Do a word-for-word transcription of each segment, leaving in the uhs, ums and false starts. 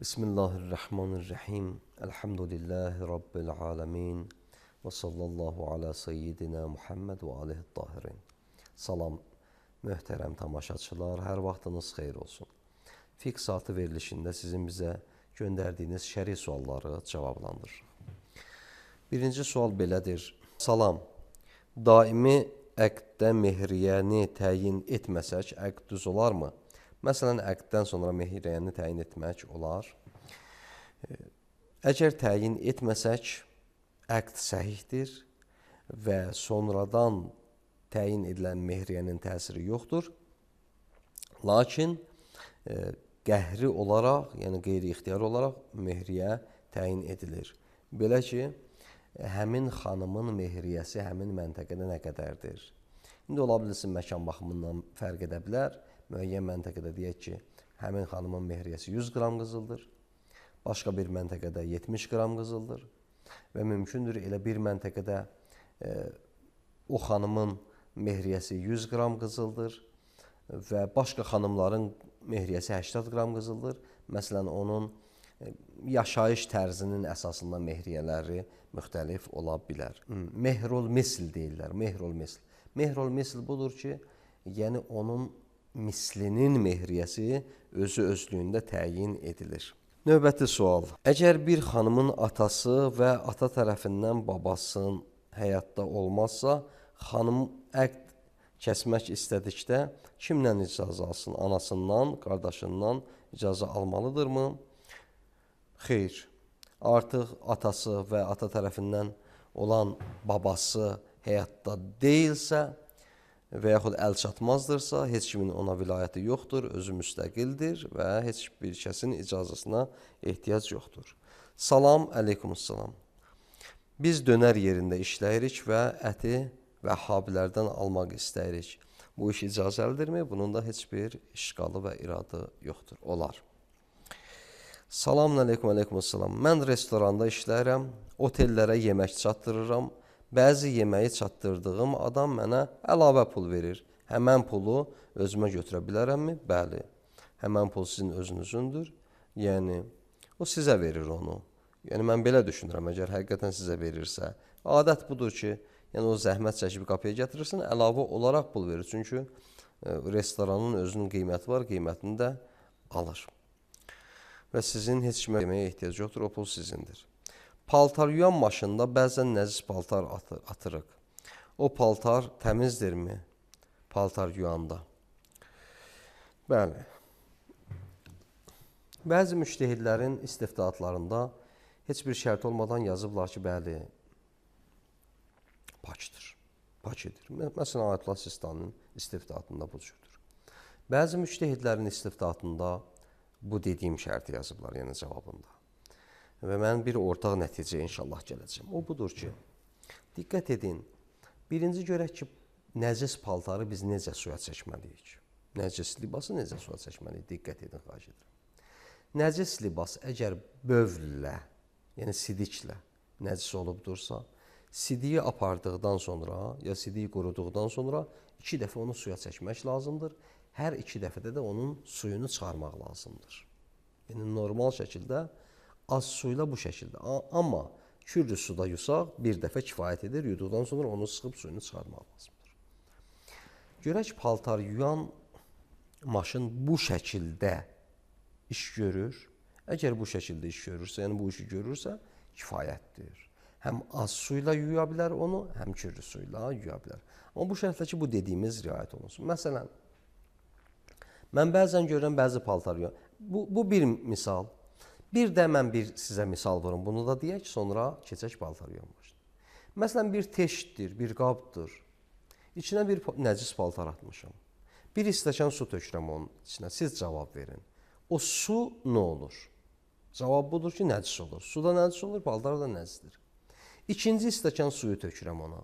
Bismillahirrahmanirrahim. Elhamdülillahi Rabbil alemin. Və sallallahu ala seyyidina Muhammed və alihi tahirin. Salam, möhtərəm tamaşaçılar, hər vaxtınız xeyir olsun. Fiqh saatı verilişində sizin bizə göndərdiyiniz şəri sualları cavablandırırıq. Birinci sual belədir. Salam, daimi əqddə mehriyəni təyin etməsək, əqd düz olarmı? Məsələn, əqddən sonra mehriyəni təyin etmək olar. Əgər təyin etməsək, əqd səhihdir və sonradan təyin edilən mehriyənin təsiri yoxdur. Lakin e, qəhri olaraq, yəni qeyri-ixtiyari olaraq mehriyə təyin edilir. Belə ki, həmin xanımın mehriyəsi həmin məntəqədə nə qədərdir? İndi ola bilsin, məkan baxımından fərq edə bilər. Müəyyən məntəqədə deyək ki, həmin xanımın mehriyəsi yüz qram qızıldır, başqa bir məntəqədə yetmiş qram qızıldır və mümkündür elə bir məntəqədə e, o xanımın mehriyəsi yüz qram qızıldır və başqa xanımların mehriyəsi səksən qram qızıldır. Məsələn, onun e, yaşayış tərzinin əsasında mehriyələri müxtəlif ola bilər. Mehrul misl deyirlər, mehrul misl. Mehrul misl budur ki, yəni onun mislinin mehriyəsi özü özlüyündə təyin edilir. Növbəti sual. Əgər bir xanımın atası və ata tərəfindən babasının həyatda olmazsa, xanım əqd kəsmək istədikdə kimdən icazə alsın? Anasından, qardaşından icazə almalıdırmı? Xeyr. Artıq atası və ata tərəfindən olan babası həyatda deyilsə, və yaxud əl çatmazdırsa, heç kimin ona vilayəti yoxdur, özü müstəqildir və heç bir kəsin icazəsina ehtiyac yoxdur. Salam, əleykumussalam. Biz dönər yerində işləyirik və əti vəhhabilərdən almaq istəyirik. Bu iş icazəlidirmi? Bunun da heç bir işqalı və iradı yoxdur. Olar. Salam, əleykum, əleykumussalam. Mən restoranda işləyirəm, otellərə yemək çatdırıram. Bəzi yeməyi çatdırdığım adam mənə əlavə pul verir. Həmən pulu özümə götürə bilərəmmi? Bəli. Həmən pul sizin özünüzündür. Yəni, o sizə verir onu. Yəni, mən belə düşünürəm, əgər həqiqətən sizə verirsə. Adət budur ki, yəni o zəhmət çəkib qapıya gətirirsin, əlavə olaraq pul verir. Çünki e, restoranın özünün qiyməti var, qiymətini də alır. Və sizin heç kimə yeməyə ehtiyac yoxdur, o pul sizindir. Paltar yuyan maşında bəzən nəcis paltar atırıq. O paltar təmizdirmi? Paltar yuyanda. Bəli. Bəzi müştəhidlərin istiftaatlarında heç bir şərt olmadan yazıblar ki, bəli, pakdır, pakidir. Məsələn, Ayətullah Sistaninin istiftaatında bu cürdür. Bəzi müştəhidlərin istiftaatında bu dediyim şərti yazıblar, yəni cavabında. Və mən bir ortaq nəticə inşallah gələcəm. O budur ki, diqqət edin, birinci görək ki, nəcis paltarı biz necə suya çəkməliyik? Nəcis libası necə suya çəkməliyik? Diqqət edin, xahiş edirəm. Nəcis libas əgər bövllə, yəni sidiklə nəcis olubdursa, sidiyi apardıqdan sonra, ya sidiyi quruduqdan sonra iki dəfə onu suya çəkmək lazımdır. Hər iki dəfədə də onun suyunu çıxarmaq lazımdır. Yəni, normal şəkildə az suyla bu şəkildə. Amma kürlü suda yusaq bir dəfə kifayət edir. Yuduqdan sonra onu sıxıb suyunu çıxarmaq lazımdır. Görək, paltar yuyan maşın bu şəkildə iş görür. Əgər bu şəkildə iş görürsə, yəni bu işi görürsə, kifayətdir. Həm az suyla yuya bilər onu, həm kürlü suyla yuya bilər. Amma bu şərtlə ki, bu dediyimiz riayət olunsun. Məsələn, mən bəzən görürəm, bəzi paltar yuyan. Bu, bu bir misal. Bir də mən bir sizə misal verim, bunu da deyək, sonra keçək paltar yuyan maşını. Məsələn, bir teştdir, bir qabdır. İçinə bir nəcis paltar atmışam. Bir stəkan su tökürəm onun içinə, siz cavab verin. O su nə olur? Cavab budur ki, nəcis olur. Su da nəcis olur, paltar da nəcisdir. İkinci stəkan suyu tökürəm ona.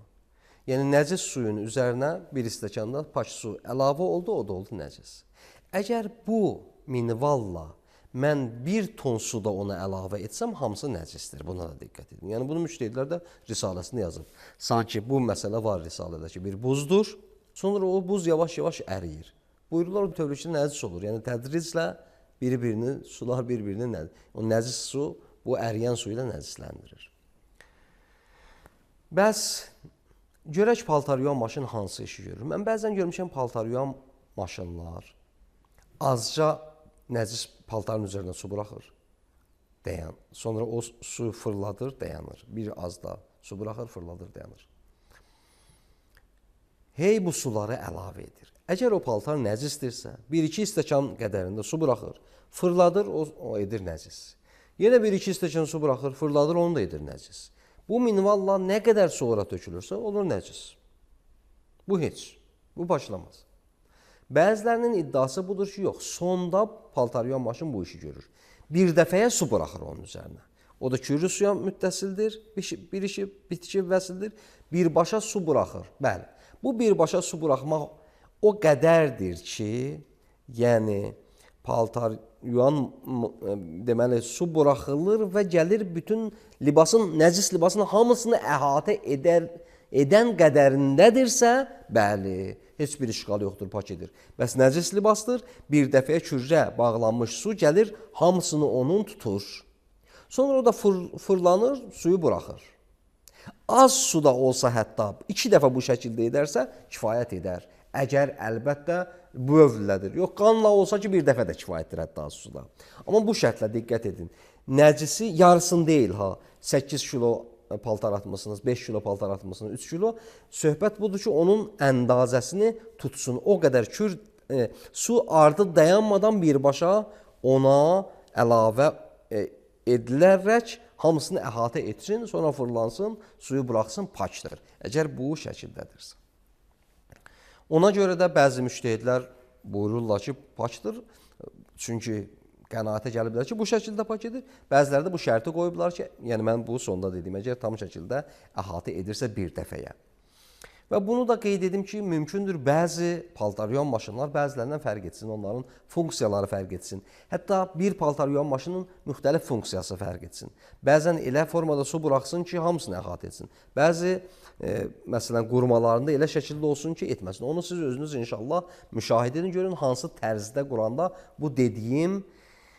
Yəni, nəcis suyun üzərinə bir stəkanda pak su əlavə oldu, o da oldu nəcis. Əgər bu minvalla mən bir ton suda ona əlavə etsəm, hamısı nəcisdir. Buna da diqqət edin. Yəni, bunu müştəhidlər də risaləsində yazıb. Sanki bu məsələ var risalədə ki, bir buzdur, sonra o buz yavaş-yavaş əriyir. Buyururlar, bu tövlükdə nəcis olur. Yəni, tədriclə Bir-birini, sular bir-birini nəzis. O nəzis su bu əriyən su ilə nəcisləndirir. Bəs görək paltar yuyan maşın hansı işi görür? Mən bəzən görmüşəm paltar yuyan maşınlar azca nəcis paltarın üzərinə su buraxır, dayan. Sonra o su fırladır, dayanır. Bir az da su buraxır, fırladır, dayanır. Hey bu suları əlavə edir. Əgər o paltar nəcisdirsə, bir-iki stəkan qədərində su buraxır, fırladır, o, o edir nəcis. Yenə bir-iki stəkan su buraxır, fırladır, onu da edir nəcis. Bu minvalla nə qədər sonra tökülürsə, olur nəcis. Bu heç, bu başlamaz. Bəzilərinin iddiası budur ki, yox, sonda paltar yuyan maşın bu işi görür. Bir dəfəyə su buraxır onun üzərinə. O da kürlü suya müttəsildir, bir işi bitki vəsildir, birbaşa su buraxır. Bəli, bu birbaşa su buraxmaq o qədərdir ki, yəni paltar yuyan deməli su buraxılır və gəlir bütün libasın, nəcis libasın hamısını əhatə edər, edən qədərindədirsə, bəli, heç bir işğal yoxdur, pak edir. Bəs nəcis libasdır, bir dəfəyə kürrə bağlanmış su gəlir, hamısını onun tutur. Sonra o da fır, fırlanır, suyu buraxır. Az suda olsa hətta iki dəfə bu şəkildə edərsə, kifayət edər. Əgər əlbəttə bu övlədir. Yox, qanla olsa ki, bir dəfə də kifayətdir hətta az suda. Amma bu şərtlə diqqət edin. Nəcisi yarısını deyil ha, səkkiz kilo paltar atmışsınız, beş kilo paltar atmışsınız, üç kilo. Söhbət budur ki, onun əndazəsini tutsun. O qədər kür e, su artıq dayanmadan birbaşa ona əlavə e, edilərək hamısını əhatə etsin, sonra fırlansın, suyu buraxsın, pakdır. Əgər bu şəkildədirsə. Ona görə də bəzi müştəhidlər buyururlar ki, pakdır. Çünki qənaətə gəliblər ki, bu şəkildə pak edir. Bəziləri də bu şərti qoyublar ki, yəni mən bu sonda dediyim, əgər tam şəkildə əhatə edirsə bir dəfəyə. Və bunu da qeyd edim ki, mümkündür bəzi paltar yuyan maşınlar bəzilərindən fərq etsin, onların funksiyaları fərq etsin. Hətta bir paltar yuyan maşının müxtəlif funksiyası fərq etsin. Bəzən elə formada su buraxsın ki, hamısını əhatə etsin. Bəzi e, məsələn qurmalarında elə şəkildə olsun ki, etməsin. Onu siz özünüz inşallah müşahidə edin, görün hansı tərzdə quranda bu dediyim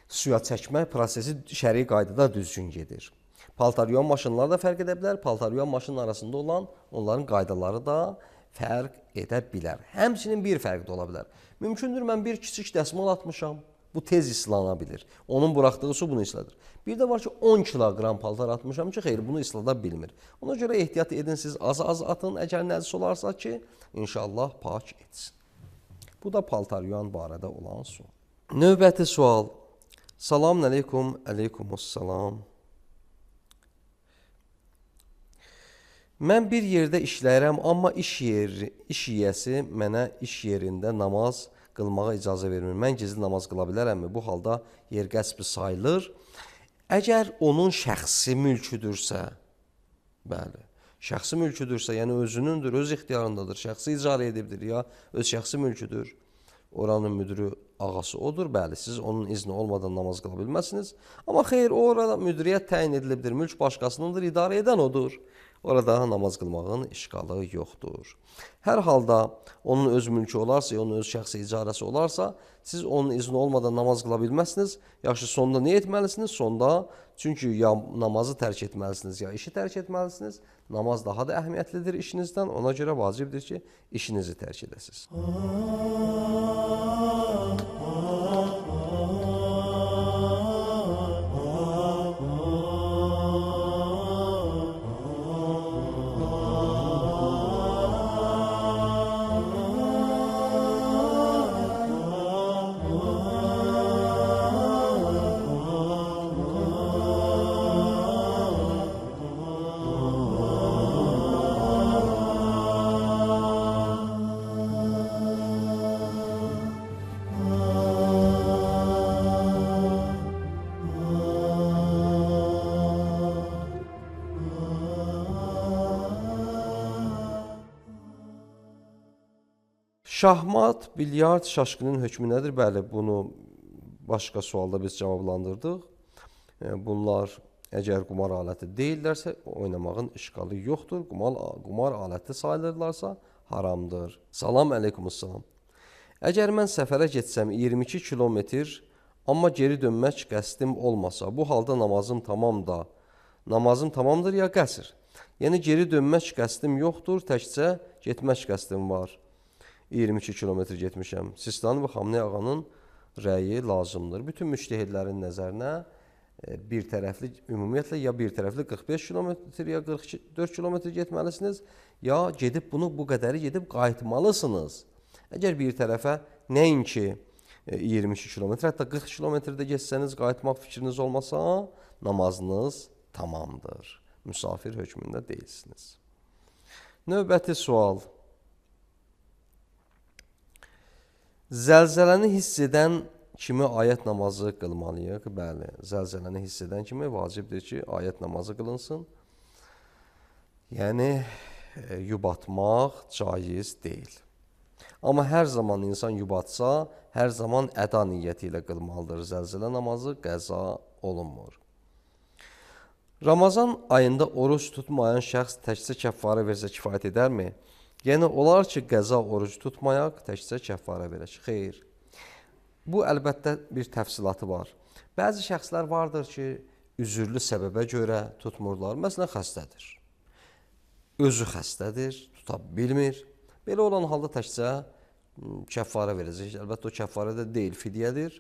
suya çəkmə prosesi şəri qaydada düzgün gedir. Paltar yuyan maşınlar da fərq edə bilər, paltar yuyan maşının arasında olan onların qaydaları da fərq edə bilər. Həmçinin bir fərq də ola bilər. Mümkündür mən bir kiçik dəsmal atmışam, bu tez islana bilir. Onun buraxdığı su bunu isladır. Bir də var ki, on kiloqram paltar atmışam ki, xeyr, bunu islada bilmir. Ona görə ehtiyat edin, siz az-az atın, əgər nəcis olarsa ki, inşallah pak etsin. Bu da paltar yuyan barədə olan sual. Növbəti sual. Salamun aleykum, aleykumussalam. Mən bir yerdə işləyirəm, amma iş yeri, iş yiyəsi mənə iş yerində namaz qılmağa icazə vermir. Mən gizli namaz qıla bilərəmmi? Bu halda yer qəsbi sayılır. Əgər onun şəxsi mülküdürsə, bəli, şəxsi mülküdürsə, yəni özünündür, öz ixtiyarındadır, şəxsi icarə edibdir ya öz şəxsi mülküdür, oranın müdürü ağası odur, bəli, siz onun izni olmadan namaz qıla bilməzsiniz. Amma xeyr, orada müdiriyyət təyin edilibdir, mülk başqasınındır, idarə edən odur. Orada namaz qılmağın işğalı yoxdur. Hər halda onun öz mülkü olarsa, onun öz şəxsi icarəsi olarsa, siz onun izni olmadan namaz qıla bilməzsiniz. Yaxşı, sonda nə etməlisiniz? Sonda, çünki ya namazı tərk etməlisiniz, ya işi tərk etməlisiniz. Namaz daha da əhəmiyyətlidir işinizdən. Ona görə vacibdir ki, işinizi tərk edəsiniz. Şahmat, bilyard, şaşqının hökmü nədir? Bəli, bunu başqa sualda biz cavablandırdıq. Bunlar əgər qumar aləti deyillərsə, oynamağın işğalı yoxdur. Qumar, qumar aləti sayılırlarsa haramdır. Salam, əleykumussalam. Əgər mən səfərə getsəm iyirmi iki kilometr, Amma geri dönmək qəsdim olmasa, bu halda namazım tamam da, namazım tamamdır ya qəsr. Yəni geri dönmək qəsdim yoxdur, təkcə getmək qəsdim var. iyirmi iki kilometr getmişəm. Sistani və Xamenei ağanın rəyi lazımdır. Bütün müştəhidlərin nəzərinə bir tərəfli, ümumiyyətlə ya bir tərəfli qırx beş kilometr ya qırx dörd kilometr getməlisiniz, ya gedib bunu bu qədəri gedib qayıtmalısınız. Əgər bir tərəfə nəinki iyirmi iki kilometr, hətta qırx kilometrdə geçsəniz, qayıtmaq fikriniz olmasa, namazınız tamamdır. Müsafir hökmündə deyilsiniz. Növbəti sual. Zəlzələni hiss edən kimi ayət namazı qılmalıyıq? Bəli, zəlzələni hiss edən kimi vacibdir ki, ayət namazı qılınsın. Yəni, yubatmaq caiz deyil. Amma hər zaman insan yubatsa, hər zaman əda niyyəti ilə qılmalıdır. Zəlzələ namazı qəza olunmur. Ramazan ayında oruç tutmayan şəxs təkcə kəffarə versə kifayət edərmi? Yəni, olar ki, qəza oruc tutmayaq, təkcə kəffarə verək. Xeyr. Bu, əlbəttə, bir təfsilatı var. Bəzi şəxslər vardır ki, üzürlü səbəbə görə tutmurlar. Məsələn, xəstədir. Özü xəstədir, tuta bilmir. Belə olan halda təkcə kəffarə verəcək. Əlbəttə, o kəffarə də deyil, fidyədir.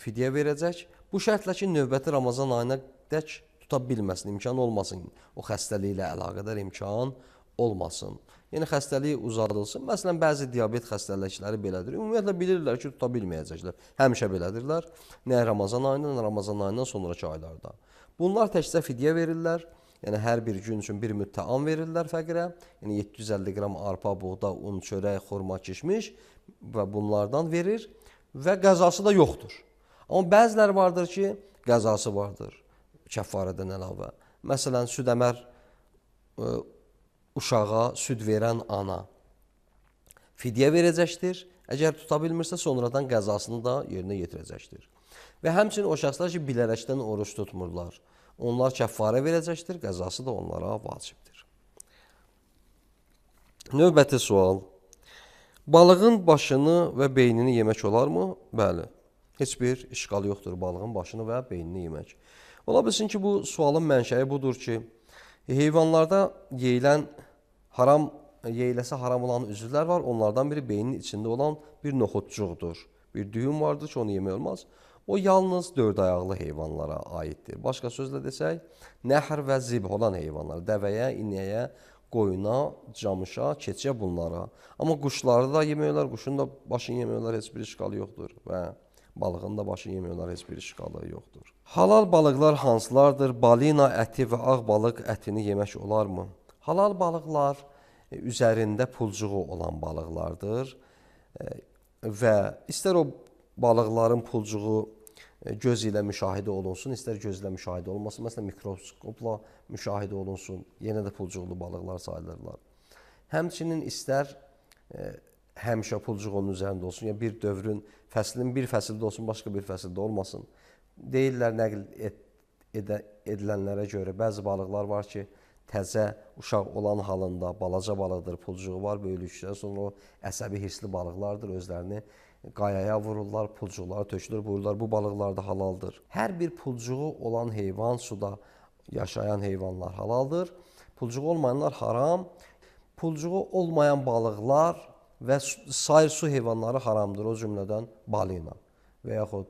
Fidyə verəcək. Bu şərtlə ki, növbəti Ramazan ayına dək tuta bilməsin, imkan olmasın. O xəstəliklə əlaqədar imkan olmasın. Yəni, xəstəliyi uzadılsın. Məsələn, bəzi diabet xəstəlikləri belədir. Ümumiyyətlə, bilirlər ki, tuta bilməyəcəklər. Həmişə belədirlər. Nə Ramazan ayından, nə Ramazan ayından sonraki aylarda. Bunlar təkcə fidyə verirlər. Yəni, hər bir gün üçün bir müttəam verirlər fəqirə. Yəni, yeddi yüz əlli qram arpa, buğda, un, çörək, xurma, kişmiş və bunlardan verir və qəzası da yoxdur. Amma bəziləri vardır ki, qəzası vardır kəffarədən əlavə. Məsələn, süd-əmər uşağa süd verən ana fidyə verəcəkdir. Əgər tuta bilmirsə, sonradan qəzasını da yerinə yetirəcəkdir. Və həmçinin o şəxslər ki, bilərəkdən oruç tutmurlar. Onlar kəffarə verəcəkdir, qəzası da onlara vacibdir. Növbəti sual. Balığın başını və beynini yemək olarmı? Bəli. Heç bir işqal yoxdur balığın başını və beynini yemək. Ola bilsin ki, bu sualın mənşəyi budur ki, heyvanlarda yeyilən haram, yeyiləsə haram olan üzvlər var. Onlardan biri beynin içində olan bir noxudcuqdur. Bir düyüm vardır ki, onu yemək olmaz. O yalnız dörd ayaqlı heyvanlara aiddir. Başqa sözlə desək, nəhr və zibh olan heyvanlar, dəvəyə, inəyə, qoyuna, camışa, keçiyə bunlara. Amma quşları da yemək olar, quşun da başını yemək olar, heç bir işqalı yoxdur. Və balığın da başını yemək olar, heç bir işqalı yoxdur. Halal balıqlar hansılardır? Balina əti və ağ balıq ətini yemək olarmı? Halal balıqlar üzərində pulcuğu olan balıqlardır və istər o balıqların pulcuğu göz ilə müşahidə olunsun, istər göz ilə müşahidə olmasın. Məsələn, mikroskopla müşahidə olunsun, yenə də pulcuqlu balıqlar sayılırlar. Həmçinin istər e, həmişə pulcuq onun üzərində olsun, ya bir dövrün, fəslin bir fəsildə olsun, başqa bir fəsildə olmasın. Deyirlər, nəql ed edə, edilənlərə görə bəzi balıqlar var ki, təzə uşaq olan halında balaca balıqdır, pulcuğu var, böyüklükdən sonra o əsəbi hirsli balıqlardır, özlərini qayaya vururlar, pulcuqları tökülür, buyururlar, bu balıqlar da halaldır. Hər bir pulcuğu olan heyvan, suda yaşayan heyvanlar halaldır. Pulcuğu olmayanlar haram. Pulcuğu olmayan balıqlar və sair su heyvanları haramdır. O cümlədən balina və yaxud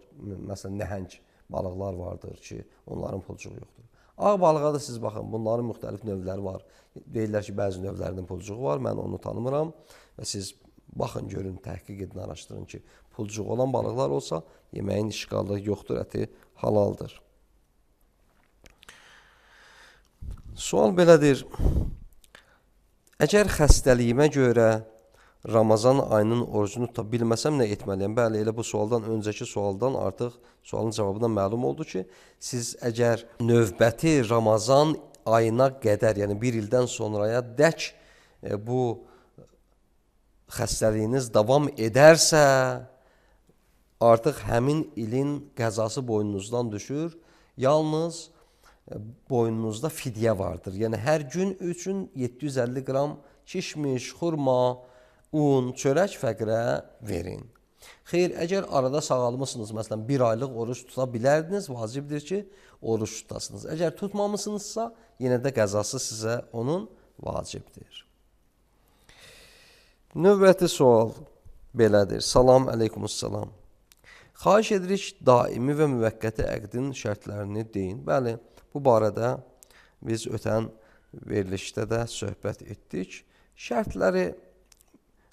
məsələn nəhəng balıqlar vardır ki, onların pulcuğu yoxdur. Ağ balığa da siz baxın, bunların müxtəlif növləri var. Deyirlər ki, bəzi növlərinin pulcuğu var, mən onu tanımıram və siz baxın, görün, təhqiq edin, araşdırın ki, pulcuğu olan balıqlar olsa, yeməyin işqalı yoxdur, əti halaldır. Sual belədir. Əgər xəstəliyimə görə Ramazan ayının orucunu tuta bilməsəm nə etməliyəm? Bəli, elə bu sualdan öncəki sualdan artıq sualın cavabından məlum oldu ki, siz əgər növbəti Ramazan ayına qədər, yəni bir ildən sonraya dək e, bu xəstəliyiniz davam edərsə, artıq həmin ilin qəzası boynunuzdan düşür. Yalnız boynunuzda fidyə vardır. Yəni, hər gün üçün yeddi yüz əlli qram kişmiş, xurma, un, çörək fəqirə verin. Xeyr, əgər arada sağalmısınız, məsələn bir aylıq oruç tuta bilərdiniz, vacibdir ki, oruç tutasınız. Əgər tutmamısınızsa, yenə də qəzası sizə onun vacibdir. Növbəti sual belədir. Salam, əleykumussalam. Xahiş edirik, daimi və müvəqqəti əqdin şərtlərini deyin. Bəli, bu barədə biz ötən verilişdə də söhbət etdik. Şərtləri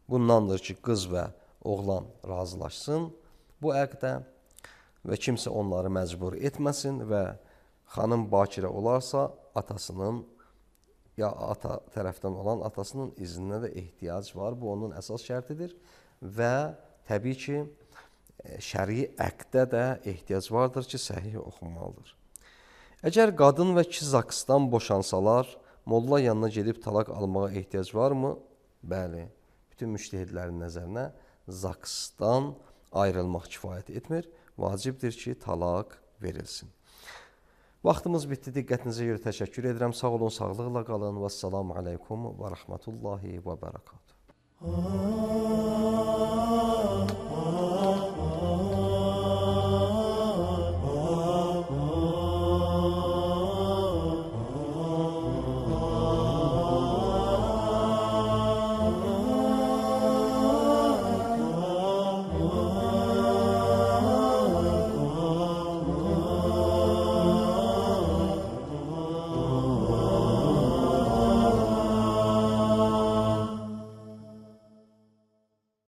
bundandır ki, qız və oğlan razılaşsın bu əqdə və kimsə onları məcbur etməsin və xanım bakirə olarsa atasının ya ata tərəfdən olan atasının izninə də ehtiyac var. Bu onun əsas şərtidir və təbii ki, şəri əqdə də ehtiyac vardır ki, səhih oxunmalıdır. Əgər qadın və kişi zaksdan boşansalar, molla yanına gedib talaq almağa ehtiyac varmı? Bəli, bütün müştəhidlərin nəzərinə zaksdan ayrılmaq kifayət etmir. Vacibdir ki, talaq verilsin. Vaxtımız bitdi. Diqqətinizə görə təşəkkür edirəm. Sağ olun, sağlıqla qalın. Vəssalamu aleykum və rəhmətullahi və bərəkatuhu.